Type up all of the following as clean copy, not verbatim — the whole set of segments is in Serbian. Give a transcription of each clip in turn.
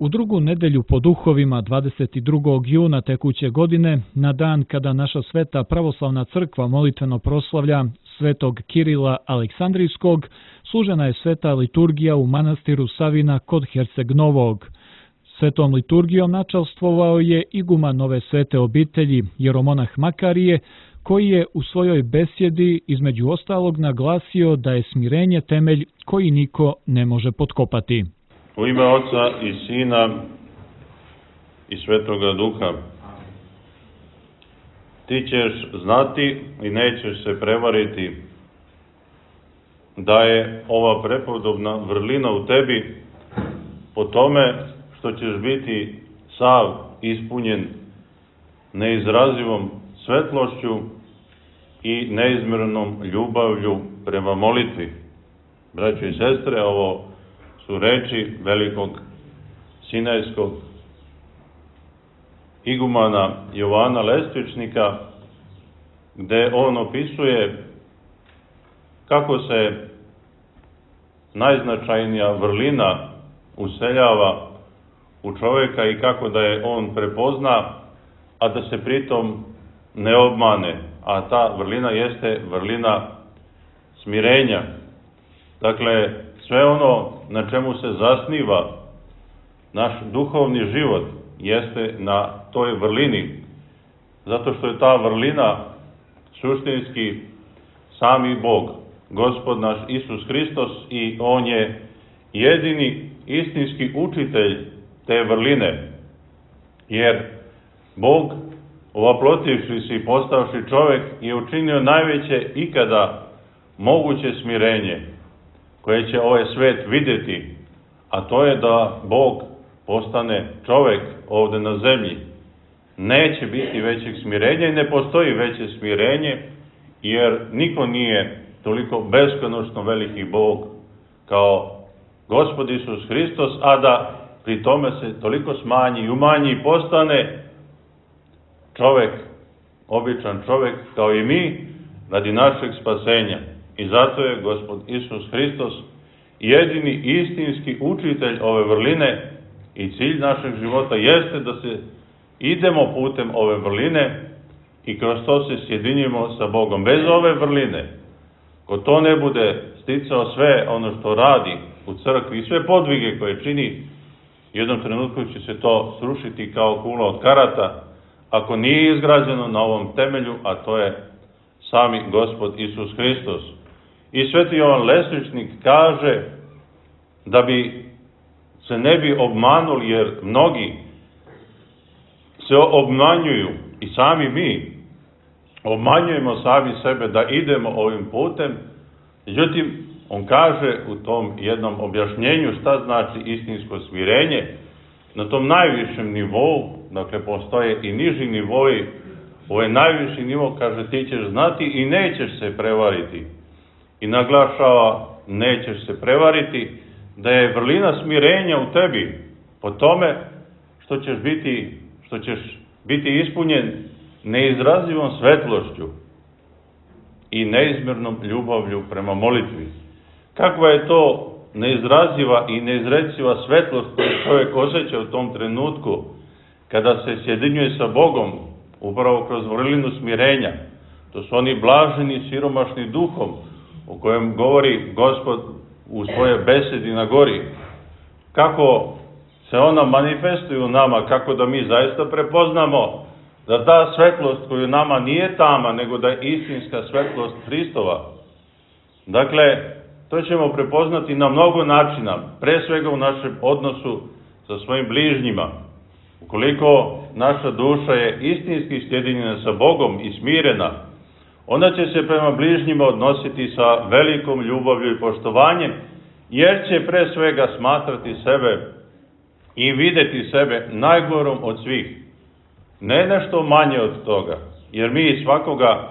U drugu nedelju po duhovima 22. juna tekuće godine, na dan kada naša sveta pravoslavna crkva molitveno proslavlja svetog Kirila Aleksandrijskog, služena je sveta liturgija u manastiru Savina kod Herceg Novog. Svetom liturgijom načastvovao je iguman Nove svete obitelji, jeromonah Makarije, koji je u svojoj besjedi između ostalog naglasio da je smirenje temelj koji niko ne može potkopati. U ime Oca i Sina i Svetoga Duha. Ti ćeš znati i nećeš se prevariti da je ova prepodobna vrlina u tebi po tome što ćeš biti sav ispunjen neizrazivom svetlošću i neizmjernom ljubavlju prema molitvi. Braćo i sestre, ovo su reči velikog sinajskog igumana Jovana Lestvičnika, gde on opisuje kako se najznačajnija vrlina useljava u čovjeka i kako da je on prepozna, a da se pritom ne obmane. A ta vrlina jeste vrlina smirenja. Dakle, sve ono na čemu se zasniva naš duhovni život jeste na toj vrlini, zato što je ta vrlina suštinski sami Bog, Gospod naš Isus Hristos, i On je jedini istinski učitelj te vrline, jer Bog, ovaplotivši se i postavši čovjek, je učinio najveće ikada moguće smirenje koje će ovaj svet vidjeti, a to je da Bog postane čovjek ovdje na zemlji. Neće biti većeg smirenja i ne postoji veće smirenje, jer niko nije toliko beskonačno veliki Bog kao Gospod Isus Hristos, a da pri tome se toliko smanji i umanji i postane čovjek, običan čovjek kao i mi, radi našeg spasenja. I zato je Gospod Isus Hristos jedini istinski učitelj ove vrline i cilj našeg života jeste da se idemo putem ove vrline i kroz to se sjedinjimo sa Bogom. Bez ove vrline, ko to ne bude sticao sve ono što radi u crkvi i sve podvige koje čini, u jednom trenutku će se to srušiti kao kula od karata, ako nije izgrađeno na ovom temelju, a to je sami Gospod Isus Hristos. I sveti Jovan Lestvičnik kaže da bi se ne bi obmanuli, jer mnogi se obmanjuju i sami mi obmanjujemo sami sebe da idemo ovim putem. Međutim, on kaže u tom jednom objašnjenju šta znači istinsko smirenje. Na tom najvišem nivou, dakle postoje i niži nivoi, ovo je najviši nivo, kaže, ti ćeš znati i nećeš se prevariti. I naglašava, nećeš se prevariti, da je vrlina smirenja u tebi po tome što ćeš biti ispunjen neizrazivom svetlošću i neizmjernom ljubavlju prema molitvi. Kakva je to neizraziva i neizreciva svetlost koju čovjek osjeća u tom trenutku kada se sjedinjuje sa Bogom, upravo kroz vrlinu smirenja. To su oni blaženi, siromašni duhom, o kojem govori Gospod u svojoj besedi na gori. Kako se ona manifestuje u nama, kako da mi zaista prepoznamo da ta svetlost koju nama nije tama, nego da je istinska svetlost Hristova. Dakle, to ćemo prepoznati na mnogo načina, pre svega u našem odnosu sa svojim bližnjima. Ukoliko naša duša je istinski sjedinjena sa Bogom i smirena, ona će se prema bližnjima odnositi sa velikom ljubavlju i poštovanjem, jer će pre svega smatrati sebe i vidjeti sebe najgorom od svih. Ne nešto manje od toga, jer mi svakoga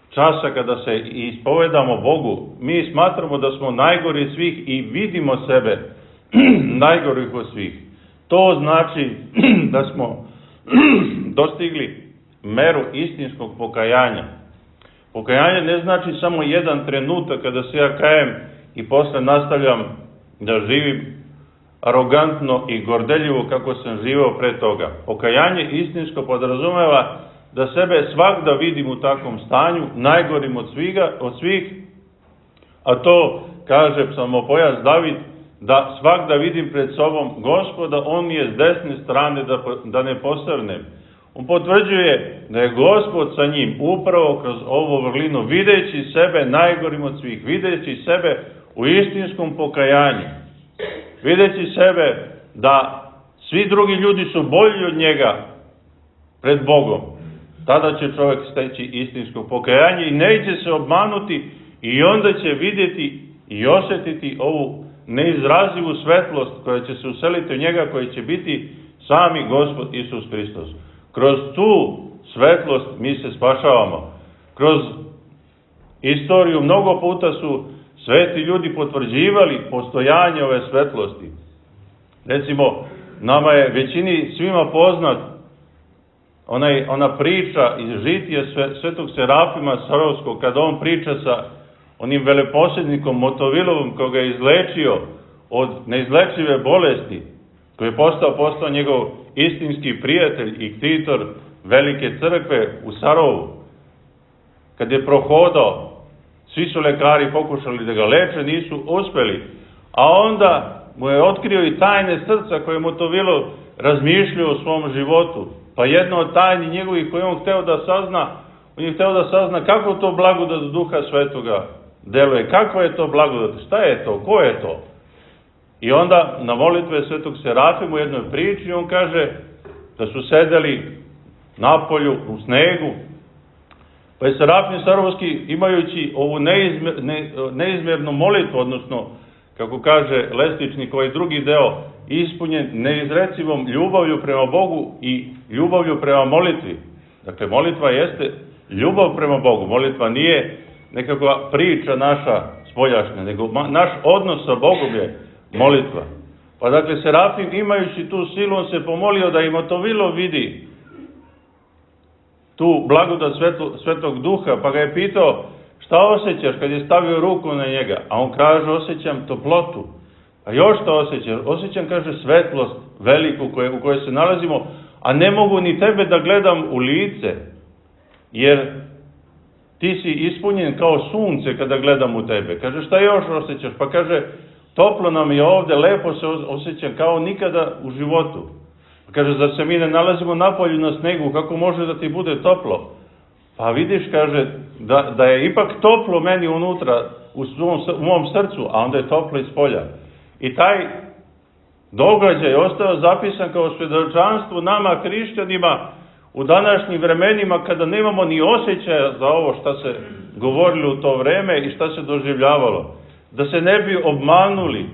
časa kada se ispovedamo Bogu, mi smatramo da smo najgori od svih i vidimo sebe najgorih od svih. To znači da smo dostigli meru istinskog pokajanja. Pokajanje ne znači samo jedan trenutak kada se ja kajem i posle nastavljam da živim arogantno i gordeljivo kako sam živao pre toga. Pokajanje istinsko podrazumeva da sebe svagda vidim u takvom stanju, najgorim od svih, a to kaže psalmopojac David, da svagda vidim pred sobom Gospoda, on mi je s desne strane da ne posrnem. On potvrđuje da je Gospod sa njim upravo kroz ovu vrlinu, videći sebe najgorim od svih, videći sebe u istinskom pokajanju, videći sebe da svi drugi ljudi su bolji od njega pred Bogom. Tada će čovjek steći istinsko pokajanje i neće se obmanuti i onda će vidjeti i osjetiti ovu neizrazivu svetlost koja će se useliti u njega, koja će biti sami Gospod Isus Hristos. Kroz tu svetlost mi se spašavamo. Kroz istoriju mnogo puta su sveti ljudi potvrđivali postojanje ove svetlosti. Recimo, nama je većini svima poznat ona priča iz žitija svetog Serafima Sarovskog, kada on priča sa onim veleposjednikom Motovilovom koga je izlečio od neizlečive bolesti, koji je postao njegov istinski prijatelj i ktitor velike crkve u Sarovu. Kad je prohodao, svi su lekari pokušali da ga leče, nisu uspeli, a onda mu je otkrio i tajne srca koje je Motovilov razmišljao o svom životu. Pa jedna od tajni njegovih koje on hteo da sazna, on je hteo da sazna kako to blagodat Duha Svetoga deluje, kakva je to blagodat, šta je to, ko je to? I onda na molitve svetog Serafima u jednoj priči on kaže da su sedeli napolju u snegu, pa je Serafim Sarovski, imajući ovu neizmjernu molitvu, odnosno, kako kaže Lestičnik, ovaj drugi deo, ispunjen neizrecivom ljubavlju prema Bogu i ljubavlju prema molitvi. Dakle, molitva jeste ljubav prema Bogu. Molitva nije nekakva priča naša spoljašnja, nego naš odnos sa Bogom je molitva. Pa dakle, Serafim, imajući tu silu, on se pomolio da i Motovilov vidi tu blagodat Svetog Duha, pa ga je pitao šta osjećaš kad je stavio ruku na njega, a on kaže osjećam toplotu. A još šta osjećaš? Osjećam, kaže, svetlost veliku u kojoj se nalazimo, a ne mogu ni tebe da gledam u lice, jer ti si ispunjen kao sunce kada gledam u tebe. Kaže, šta još osjećaš? Pa kaže, toplo nam je ovde, lepo se osjećam kao nikada u životu. Pa kaže, zar se mi ne nalazimo napolju na snegu, kako može da ti bude toplo? Pa vidiš, kaže, da je ipak toplo meni unutra, u mom srcu, a onda je toplo iz polja. I taj događaj je ostao zapisan kao svedočanstvo nama, hrišćanima, u današnjim vremenima, kada nemamo ni osjećaja za ovo šta se govorilo u to vreme i šta se doživljavalo. Da se ne bi obmanuli.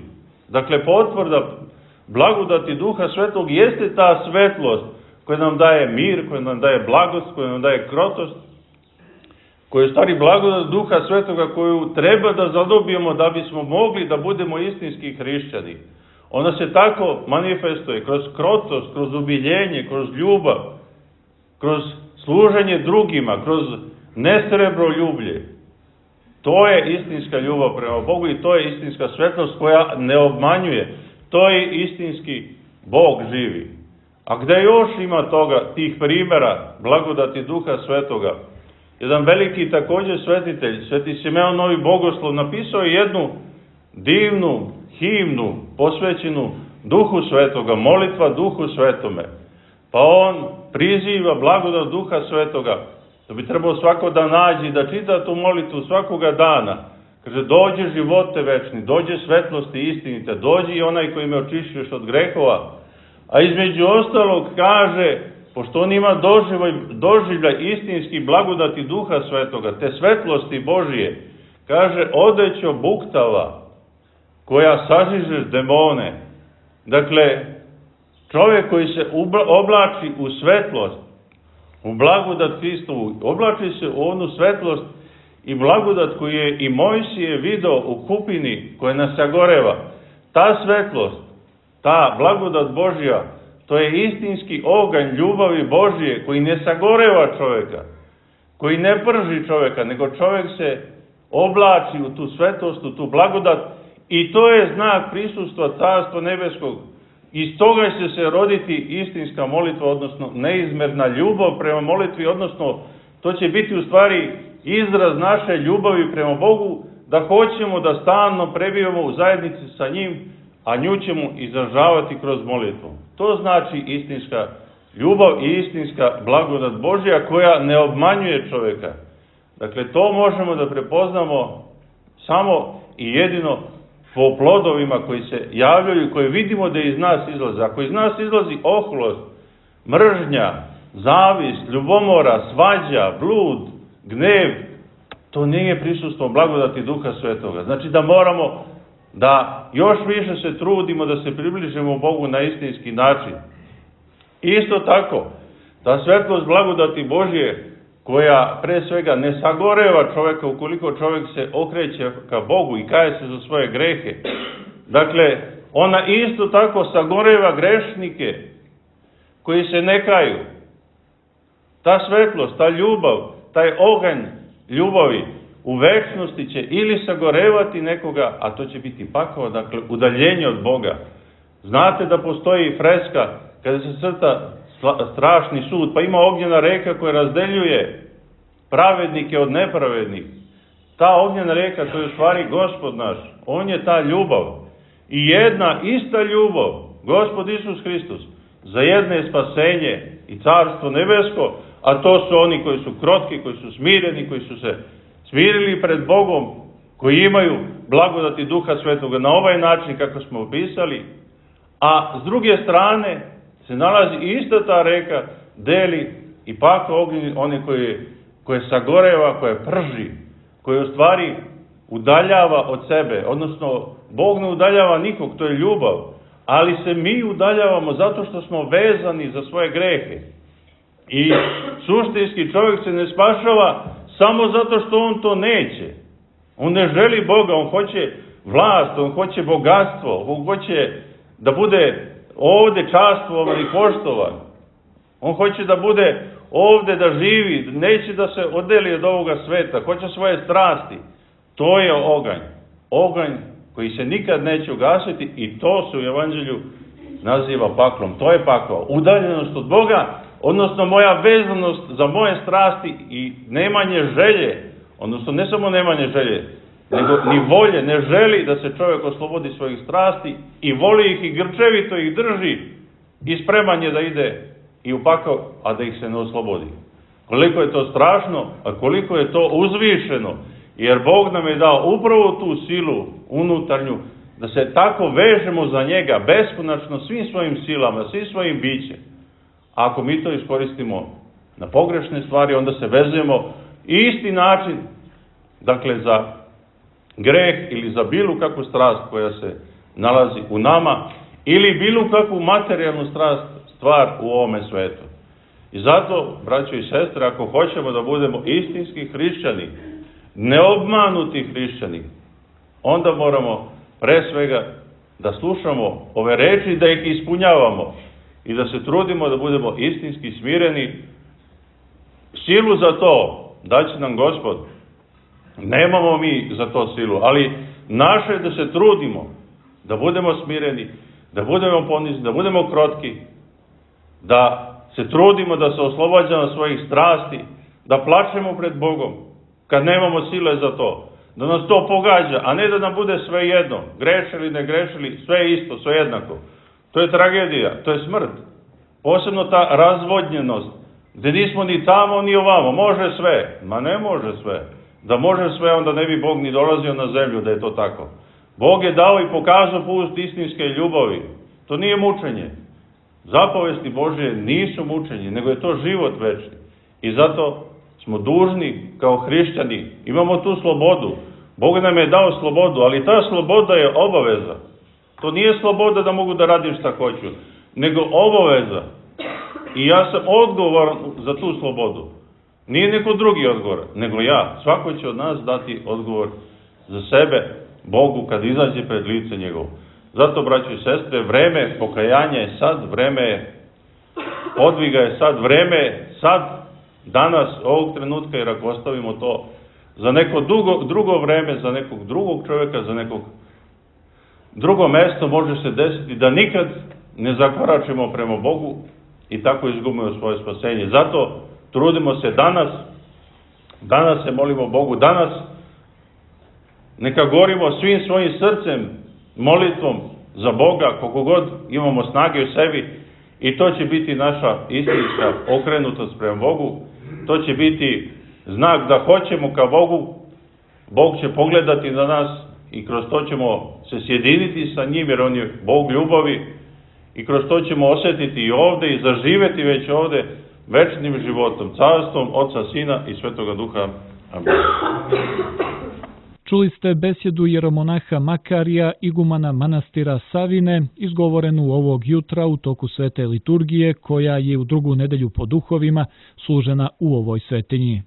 Dakle, potvrda blagodati Duha Svetog jeste ta svetlost koja nam daje mir, koja nam daje blagost, koja nam daje krotost, koja je stvari blagodat Duha Svetoga koju treba da zadobijemo da bismo mogli da budemo istinski hrišćani. Ona se tako manifestuje kroz krotost, kroz ubiljenje, kroz ljubav, kroz služenje drugima, kroz nesrebroljublje. To je istinska ljubav prema Bogu i to je istinska svetlost koja ne obmanjuje. To je istinski Bog živi. A gde još ima toga, tih primjera blagodati Duha Svetoga? Jedan veliki također svetitelj, Sveti Simeon Novi Bogoslov, napisao je jednu divnu himnu posvećenu Duhu Svetoga, molitva Duhu Svetome. Pa on priziva blagodat Duha Svetoga, da bi trebao svako da nađe i da čita tu molitvu svakoga dana. Kaže, dođe živote večni, dođe svetlosti istinite, dođe i onaj koji me očišćuješ od grehova. A između ostalog kaže, pošto on ima doživljaj istinski blagodati Duha Svetoga, te svetlosti Božije, kaže, odećo buktava koja sažižeš demone. Dakle, čovjek koji se oblači u svetlost, u blagodat Hristovu, oblači se u onu svetlost i blagodat koju je i Mojsije video u kupini koja nas sagoreva. Ta svetlost, ta blagodat Božja, to je istinski oganj ljubavi Božje koji ne sagoreva čovjeka, koji ne prži čovjeka, nego čovjek se oblači u tu svetlost, u tu blagodat I to je znak prisustva Carstva nebeskog. Iz toga će se roditi istinska molitva, odnosno neizmerna ljubav prema molitvi, odnosno to će biti u stvari izraz naše ljubavi prema Bogu, da hoćemo da stalno prebivamo u zajednici sa njim, a nju ćemo izražavati kroz molitvu. To znači istinska ljubav i istinska blagodat Božja koja ne obmanjuje čovjeka. Dakle, to možemo da prepoznamo samo i jedino po plodovima koji se javljaju i koje vidimo da iz nas izlaze. Ako iz nas izlazi oholost, mržnja, zavist, ljubomora, svađa, blud, gnev, to nije prisustvo blagodati Duha Svetoga. Znači da moramo da još više se trudimo da se približimo Bogu na istinski način. Isto tako, ta svetlost blagodati Božje, koja pre svega ne sagoreva čovjeka ukoliko čovjek se okreće ka Bogu i kaje se za svoje grehe. Dakle, ona isto tako sagoreva grešnike koji se ne kaju. Ta svetlost, ta ljubav, taj oganj ljubavi u večnosti će ili sagorevati nekoga, a to će biti pakao, dakle udaljenje od Boga. Znate da postoji freska kada se crta strašni sud, pa ima ognjena reka koja razdeljuje pravednike od nepravednih. Ta ognjena reka, to je u stvari Gospod naš. On je ta ljubav. I jedna ista ljubav, Gospod Isus Hristos, za jedne je spasenje i Carstvo nebesko, a to su oni koji su krotki, koji su smireni, koji su se smirili pred Bogom, koji imaju blagodati Duha Svetoga na ovaj način kako smo opisali, a s druge strane se nalazi ista ta reka, deli i paka ognjeni, one koje sagoreva, koje prži, koje u stvari udaljava od sebe, odnosno Bog ne udaljava nikog, to je ljubav, ali se mi udaljavamo zato što smo vezani za svoje grehe. I suštinski čovjek se ne spašava samo zato što on to neće. On ne želi Boga, on hoće vlast, on hoće bogatstvo, on hoće da bude ovdje častvovan i poštovan. On hoće da bude ovdje, da živi, neće da se odeli od ovoga sveta, hoće svoje strasti. To je oganj. Oganj koji se nikad neće ugasiti i to se u Evanđelju naziva paklom. To je pakao. Udaljenost od Boga, odnosno moja vezanost za moje strasti i nemanje želje, odnosno ne samo nemanje želje, nego ni volje, ne želi da se čovjek oslobodi svojih strasti i voli ih i grčevito ih drži i spreman je da ide i u pakao, a da ih se ne oslobodi. Koliko je to strašno, a koliko je to uzvišeno, jer Bog nam je dao upravo tu silu unutarnju, da se tako vežemo za njega beskonačno svim svojim silama, svim svojim bićem. A ako mi to iskoristimo na pogrešne stvari, onda se vezujemo isti način, dakle za greh ili za bilo kakvu strast koja se nalazi u nama, ili bilo kakvu materijalnu stvar u ovome svetu. I zato, braćo i sestre, ako hoćemo da budemo istinski hrišćani, neobmanuti hrišćani, onda moramo pre svega da slušamo ove reči, da ih ispunjavamo i da se trudimo da budemo istinski smireni. Silu za to daće nam Gospod. Nemamo mi za to silu, ali naše je da se trudimo, da budemo smireni, da budemo ponizni, da budemo krotki, da se trudimo da se oslobađamo svojih strasti, da plačemo pred Bogom, kad nemamo sile za to, da nas to pogađa, a ne da nam bude sve jedno, grešili, ne grešili, sve isto, sve jednako. To je tragedija, to je smrt. Posebno ta razvodnjenost, gdje nismo ni tamo, ni ovamo, može sve, ma ne može sve. Da može sve, onda ne bi Bog ni dolazio na zemlju da je to tako. Bog je dao i pokazao put istinske ljubavi. To nije mučenje. Zapovesti Božje nisu mučenje, nego je to život večni. I zato smo dužni kao hrišćani, imamo tu slobodu. Bog nam je dao slobodu, ali ta sloboda je obaveza. To nije sloboda da mogu da radim šta hoću, nego obaveza. I ja sam odgovoran za tu slobodu. Nije neko drugi odgovor, nego ja. Svako će od nas dati odgovor za sebe Bogu kad izađe pred lice njegovo. Zato, braćo i sestre, vreme pokajanja je sad, vreme podviga je sad, vreme je sad, danas, ovog trenutka, jer ako ostavimo to za neko drugo vreme, za nekog drugog čovjeka, za nekog Drugo mesto može se desiti da nikad ne zakoračimo prema Bogu i tako izgubimo svoje spasenje. Zato trudimo se danas se molimo Bogu, danas neka gorimo svim svojim srcem, molitvom za Boga, koliko god imamo snage u sebi, i to će biti naša istinska okrenutost prema Bogu. To će biti znak da hoćemo ka Bogu. Bog će pogledati na nas i kroz to ćemo se sjediniti sa njim, jer on je Bog ljubavi, i kroz to ćemo osjetiti i ovde i zaživeti već ovde večnim životom, carstvom Oca, Sina i Svetoga Duha. Amen. Čuli ste besjedu jeromonaha Makarija, igumana manastira Savine, izgovorenu ovog jutra u toku svete liturgije, koja je u drugu nedelju po duhovima služena u ovoj svetinji.